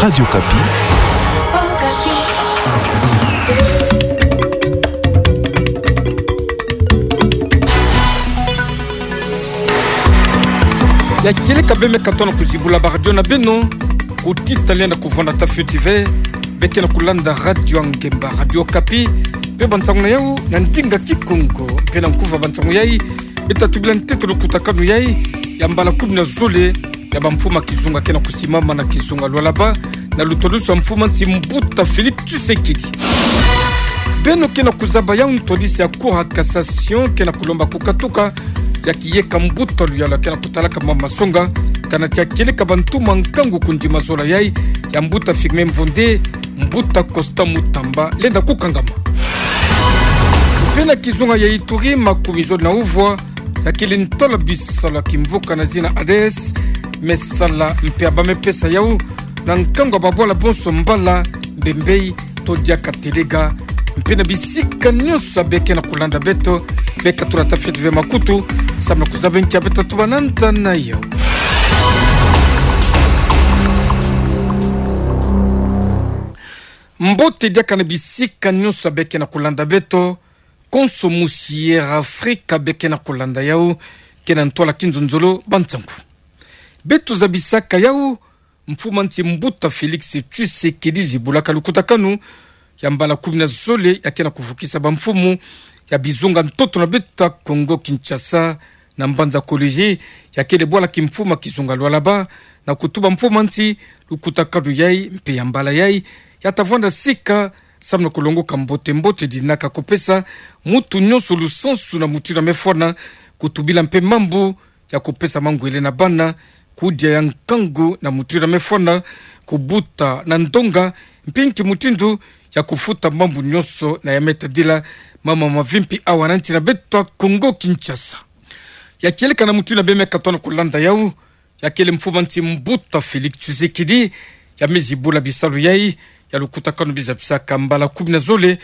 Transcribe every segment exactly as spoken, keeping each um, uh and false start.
Radio Okapi. Ya kieleka beme katona kuzibula baradio na beno, kuti taliana kuvwanda ta fioti ve, beke na kulanda Radio Angemba, Radio Okapi, pe bansangu na yau na ndinga kikongo, pe na nkuva bansangu yai, beta tubila ntetolo kutakanu yai, ya mbala kumi na zole, ya bamfumu ma kizunga ke na kusimama na kizunga Lualaba, na lutwadusu ya mfumu ma nsi mbuta Félix Tshisekedi. Beno ke na kuzaba yau ntwadisi ya Cour ya Cassation ke na kulomba kukatuka ya kiyeka mbuta luyalu ke na kutalaka mwa masonga, kana tia kieleka bantu ma nkangu kundima zola yai, ya mbuta Firmin Mvonde, mbuta Costa Mutamba, lenda kukangama. Pe na kizunga ya Ituri, makumi zole na uvwa, ya kele ntwala bisalu ya kimvuka na zina ADES, mesala mpe ya bamepesa yau, na nkangu ya babwala bonso mbala, mbembei, to diaka telega, mpe na bisika nyonso ya beke na kulanda beto, beka tula ta fioti ve makutu, samu na kuzaba ntia beta tubananta na yau. Mbote diaka na bisika nyonso ya beke na kulanda beto, konso musi Air Afrika beke na kulanda yau, ke na ntwala kinzonzolo bansangu. Beto zabisaka yau, mfumu ma nsi mbuta Félix Tshisekedi zibulaka lukutakanu ya mbala kumi na zole ya ke na kuvukisa bamfumu ya bizunga ntoto na beto ya Congo Kinshasa na mbanza Kolwezi, ya kele bwala kimfumu ma kizunga Lualaba, na kutuba mfumu ma nsi lukutakanu yai mpe ya mbala yai ya ta vwanda sika, samu na kulongoka mbote mbote dinaka kupesa mutu nyonso lusansu na mutindu ya mefwana, kutubila mpe mambu ya kupesa mangwele na bana, kudia ya nkangu na mutindu ya mefwana, kubuta na ndonga, mpe nki mutindu ya kufuta mambu nyonso na ya me tadila mama mavimpi awa na nsi na beto ya Congo Kinshasa. Ya kieleka na mutindu ya beme katona kulanda yau, ya kele mfumu ma nsi mbuta Félix Tshisekedi, ya me zibula bisalu yai, ya lukutakanu bizabisaka mbala kumi na zole,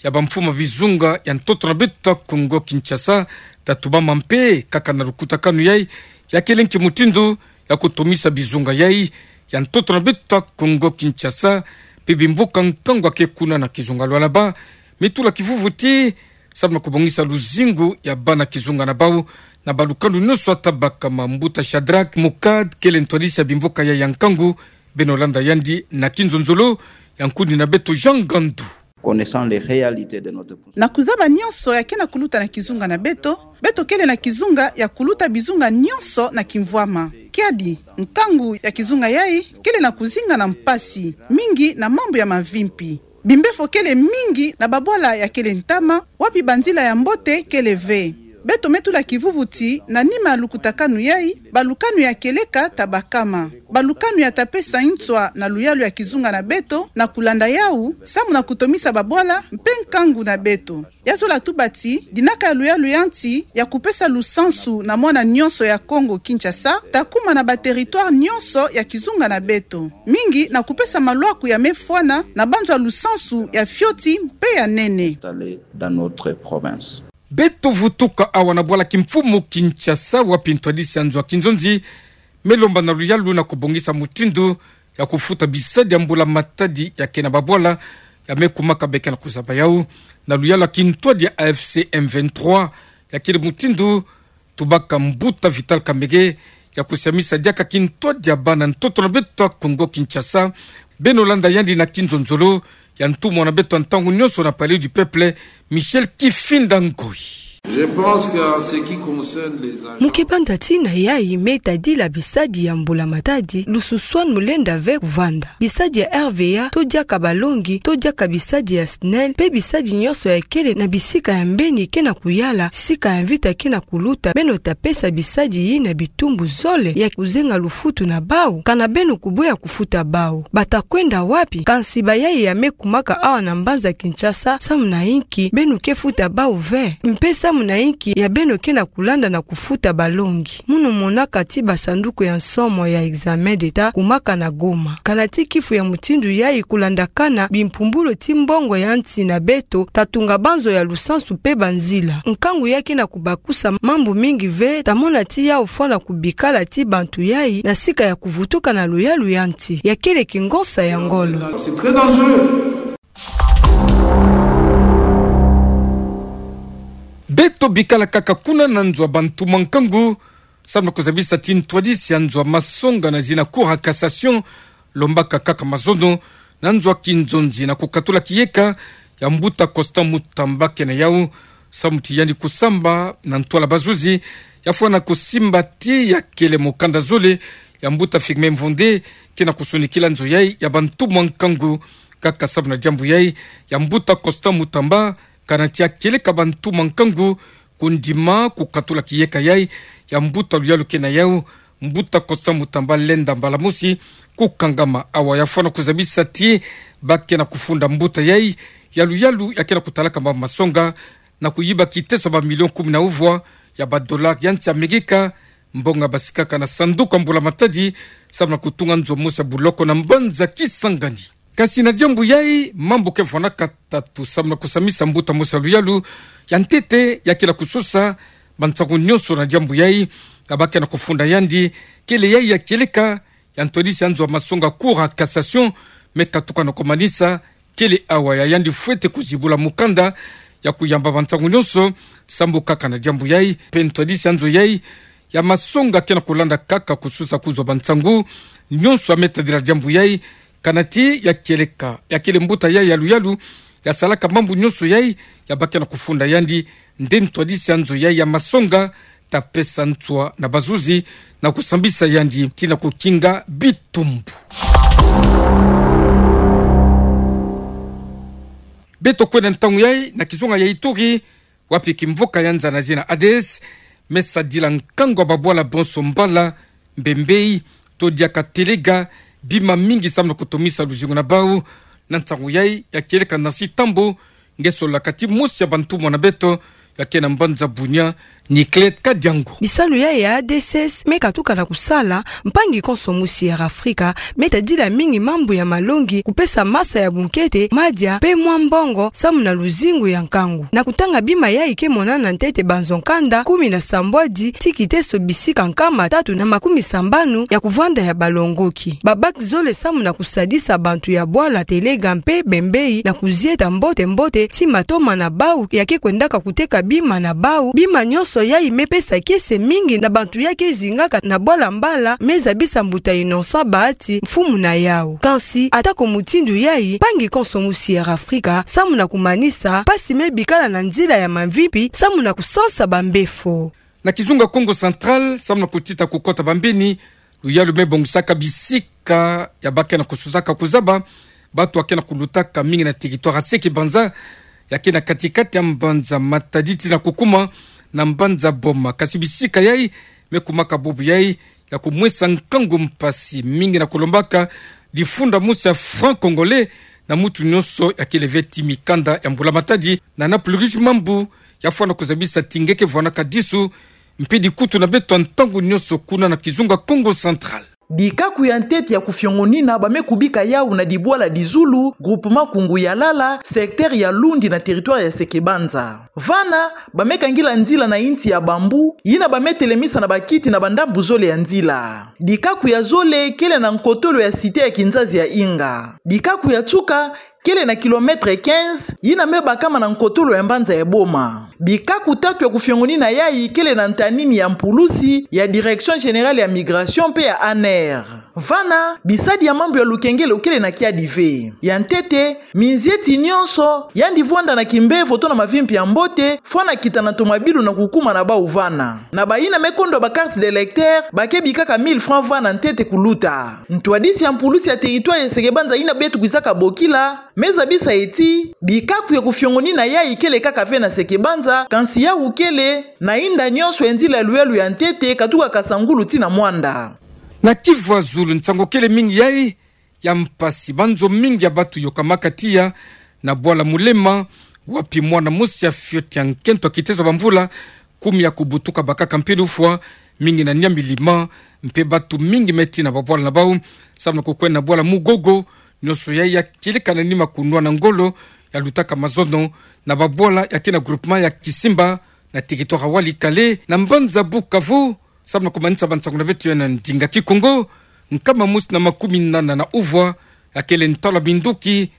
ya bamfumu ma bizunga ya ntoto na beto ya Congo Kinshasa, ta tubama mpe kaka na lukutakanu yai, ya kele nki mutindu ya kutomisa bizunga yai ya ntoto na beto ya Congo Kinshasa, mpe bimvuka nkangu ya ke kuna na kizunga Lualaba, me tula kivuvuti, samu na kubongisa luzingu ya bana kizunga na bau, na balukanu nyonso ya tabakama. Mbuta Shadrack Mukad kele ntwadisi ya bimvuka yai ya nkangu, beno landa yandi na kinzonzolo ya nkundi na beto Jean Gandu. Connaissant les réalités de notre... Na kuzaba nyonso ya ke na kuluta na kizunga na beto, beto kele na kizunga ya kuluta bizunga nyonso na kimvwama. Kiadi, nkangu ya kizunga yai kele na kuzinga na mpasi mingi na mambu ya mavimpi. Bimbefo kele mingi na babwala ya kele ntama, wapi banzila ya mbote kele ve. Beto me tula kivuvuti na nima ya lukutakanu yai, balukanu ya kieleka tabakama. Balukanu ya ta pesa nswa na luyalu ya kizunga na beto na kulanda yau, samu na kutomisa babwala mpe nkangu na beto. Ya zola tuba ti dinaka ya luyalu ya nsi ya kupesa lusansu na mwana nyonso ya Congo Kinshasa ta kuma na ba territoire nyonso ya kizunga na beto. Mingi na kupesa malwaku ya mefwana na banzo ya lusansu ya fioti mpe ya nene. Installés dans notre province. Beto vutuka awa na bwala kimfumu Kinshasa, wapi ntwadisi ya nzo ya kinzonzi me lomba na luyalu na kubongisa mutindu ya kufuta bisadi ya mbula matadi ya ke na babwala ya me kumaka, beke na kuzaba yau na luyalu ya kintwadi ya A F C M vingt-trois, ya kele mutindu tubaka mbuta Vital Kamerhe, ya kusiamisa diaka kintwadi ya bana ntoto na beto ya Congo Kinshasa. Beno landa yandi na kinzonzolo ya ntumwa na beto ya ntangu nyonso na Palais du Peuple, Michel Kifinda Ngoyi. Je pense qu'en ce qui concerne les agents... Mu ke banda tii na yai me tadila bisadi ya mbula matadi, lususwanu mu lenda ve kuvanda. Bisadi ya R V A, to diaka balongi, to diaka bisadi ya S N E L, mpe bisadi nyonso ya kele na bisika ya mbeni ke na kuyala, sika ya mvita ke na kuluta, beno ta pesa bisadi yina bitumbu zole ya kuzenga lufutu na bau, kana beno kuboya kufuta bau. Ba ta kwenda wapi? Kansi bayai ya me kumaka awa na mbanza Kinshasa, samu na inki beno ke futa bau ve? Mpe samu samu na inki ya beno ke na kulanda na kufuta balongi. Munu monaka ti basanduku ya nsomo ya examen d'Etat kumaka na Goma. Kana ti kifu ya mutindu yayi, kulandakana bimpumbulu ti mbongo ya nsi na beto, tatunga banzo ya lusansu mpe banzila. Nkangu ya ke na kubakusa mambu mingi ve, tamona ti yawu fwana kubikala ti bantu yayi na sika ya kuvutuka na luyalu ya nsi. Ya kele kingonsa ya ngolo. C'est très dangereux. Beto bikala kaka kuna na nzo a bantu mwa nkangu, samu na kuzabisa ti ntwadisi ya nzo a masonga na zina Cour ya Cassation, lombaka kaka mazono, na nzo a kinzonzi na kukatula kiyeka ya mbuta Constant Mutamba ke na yawu, samu ti yandi kusamba na ntwala bazuzi, ya fwana kusimba ti ya kele mokanda zole ya mbuta Firmin Mvonde ke na kusonikila nzo yayi ya bantu mwa nkangu. Kaka samu na diambu yayi, ya mbuta Constant Mutamba, kana ti ya kieleka bantu mwa nkangu kundima kukatula kiyeka yayi, ya mbuta luyalu ke na yawu, mbuta Constant Mutamba lenda mbala mosi kukangama. Awa ya fwana kuzabisa ti ba ke na kufunda mbuta yayi ya luyalu ya ke na kutalaka mambu masonga, na kuyiba kiteso ba million kumi na uvwa ya ba dollars ya nsi Amerika, mbongo basikaka na sanduku ya mbula matadi, samu na kutunga nzo mosi ya buloko na mbanza Kisangani. Kasi na diambu yayi, mambu ke fwanaka tatu samu na kusamisa mbuta mosi ya luyalu ya ntete ya kila kusosa bansangu nyonso na diambu yayi, na ba ke na kufunda yandi, kele yayi ya kieleka ya ntwadisi ya nzo a masonga Cour ya Cassation, me katuka na kumanisa, kele awa ya yandi fwete kuzibula mukanda ya kuyamba bansangu nyonso, samu kaka na diambu yayi, mpe ntwadisi ya nzo yayi ya masonga ke na kulanda kaka kusosa kuzwa bansangu nyonso ya me tadila diambu yayi, kana ti ya kieleka ya kele mbuta yayi ya luyalu ya salaka mambu nyonso yayi, ya ba ke na kufunda yandi, nde ntwadisi ya nzo yayi ya masonga ta pesa nswa na bazuzi na kusambisa yandi ti na kukinga bitumbu. Beto kwenda ntangu yayi na kizunga ya Ituri, wapi kimvoka ya nza na zina Ades me sadila nkangu ya babwala bonso mbala, mbembei, to diaka telega, bima mingi samu na kutomisa luzingu na bawu. Na nsangu yayi ya kieleka na nsi Tambo, nge solaka ti mosi ya bantumwa na beto ya ke na mbanza Bunia, Niclette Kadiango. Bisalu yayi ya A D C S me katuka na kusala, mpangi konso mosi ya Afrika me tadila mingi mambu ya malongi, kupesa masa ya bunkete, madia, mpe mwa mbongo, samu na luzingu ya nkangu. Na kutanga bima yayi ke monana ntete banzo nkanda kumi na sambwadi ti kiteso bisika nkama tatu na makumi sambanu ya kuvwanda ya balongoki. Ba bac zole samu na kusadisa bantu ya bwala telega mpe bembei na kuzieta mbote mbote ti matoma na bawu ya ke kwendaka kuteka bima na bawu. Bima nyonso yayi me pesa kiese mingi na bantu ya ke zingaka na bwala mbala, me zabisa mbuta Innocent Bahati, mfumu na yawu. Kansi, atako mutindu yayi, mpangi konso mosi ya Afrika, samu na kumanisa, mpasi me bikala na nzila ya mavimpi, samu na kusansa bambefo. Na kizunga Kongo Central, samu na kutita kukota bambeni, luyalu me bongisaka bisika ya ba ke na kusosaka kuzaba bantu ya ke na kulutaka mingi na territoire ya Seke-Banza, ya ke na kati-kati ya mbanza Matadi tii na kukuma na mbanza Boma. Kasi bisika yayi me kumaka bubu yayi ya kumwesa nkangu mpasi mingi na kulombaka difunda mosi ya franc congolais na mutu nyonso ya kele ve ti mikanda ya mbula matadi. Na na plus riche mambu ya fwana kuzabisa ti nge ke vwanaka disu mpe dikutu na beto ntangu nyonso kuna na kizunga Kongo Central. Dikaku ya ntete ya kufiongonina ba me kubika yawu na dibwala Dizulu, groupement Kungu ya Lala, secteur ya Lundi na territoire ya Seke-Banza. Vana, ba me kangila nzila na inti ya bambu, yina ba me telemisa na bakiti na bandambu zole ya nzila. Dikaku ya zole kele na nkotolo ya cité ya kinzazi ya Inga. Dikaku ya nsuka kele na kilomètre quinze, yina me bakama na nkotolo ya mbanza ya Boma. Bikaku tatu ya kufiongonina yayi kele na ntanini ya mpulusi ya Direction Générale ya Migration mpe ya ANR. Vana, bisadi ya mambu ya lukengelo kele na kiadi ve. Ya ntete, minzieti nyonso yandi vwanda na kimbevo to na mavimpi ya mbote, fwana kita na tomabilu na kukuma na bawu vana. Na bayina me kondwa ba carte d'électeur, ba ke bikaka mille francs vana ntete kuluta. Ntwadisi ya mpulusi ya territoire ya Seke-Banza yina beto kwisaka bokila, me zabisa ye ti bikaku ya kufiongonina yayi kele kaka ve na Seke-Banza, kansi yawu kele na inda nyonso ya nzila ya luyalu ya ntete, katuka Kasangulu tii na Muanda. Na Kivu ya Zulu, nsangu kele mingi yayi ya mpasi. Banzo mingi ya bantu yokamaka tiya na bwala Mulema, Wapi mwana mosi ya fioti ya nkento ya kitezo ya bamvula kumi ya kubutuka bakaka mpila ufwa, mingi na nia milima, mpe batu mingi me tina babwala na bau samu na kukwenda bwala Mugogo. Nionso yai ya kieleka na nima kunwana ngolo ya lutaka mazono na babwala ya kina groupement ya Kisimba, na territoire ya Walikale, na mbanza Bukavu. Samu na kumanisa bansangu na beto ya na ndinga Kikongo, nkama mosi na makumi nana na uvwa ya kele ntalu ya minduki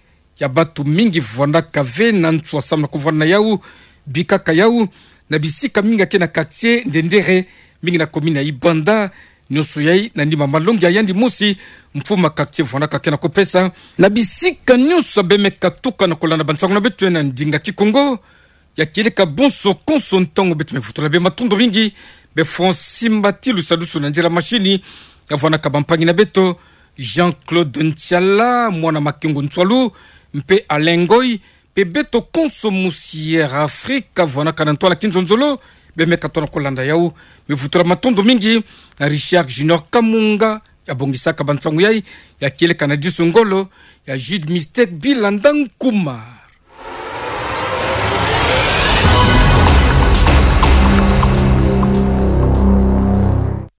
ya batu mingi vwanaka ve na nswa samu na kuvwanda na yau, bikaka yau na bisika mingi ya kena quartier Ndendere, mingi na commune ya Ibanda. Nionso yai na nima malongi ya yandi mosi mfumu ya quartier vwanaka kena kupesa. Na bisika nionso ya bemeka tuka na kulanda bansangu na beto ya na ndinga Kikongo, ya kieleka bonso konso ntangu beto me vutula bê matondo mingi bê Francis Mbati Lusadusu na nzila machine, ya vwanaka bampangi na beto, Jean-Claude Ntiala, mwana Makengo Ntwalu, mpe Alain Ngoy, mpe beto konso musi Air Afrique vwanaka na ntwala kinzonzolo, bemeka tona kulanda yau. Me vutula matondo mingi na Richard Junior Kamunga, ya bongisaka bansangu yai, ya kieleka na disu ngolo ya Jude Mistake Bilanda Nkuma.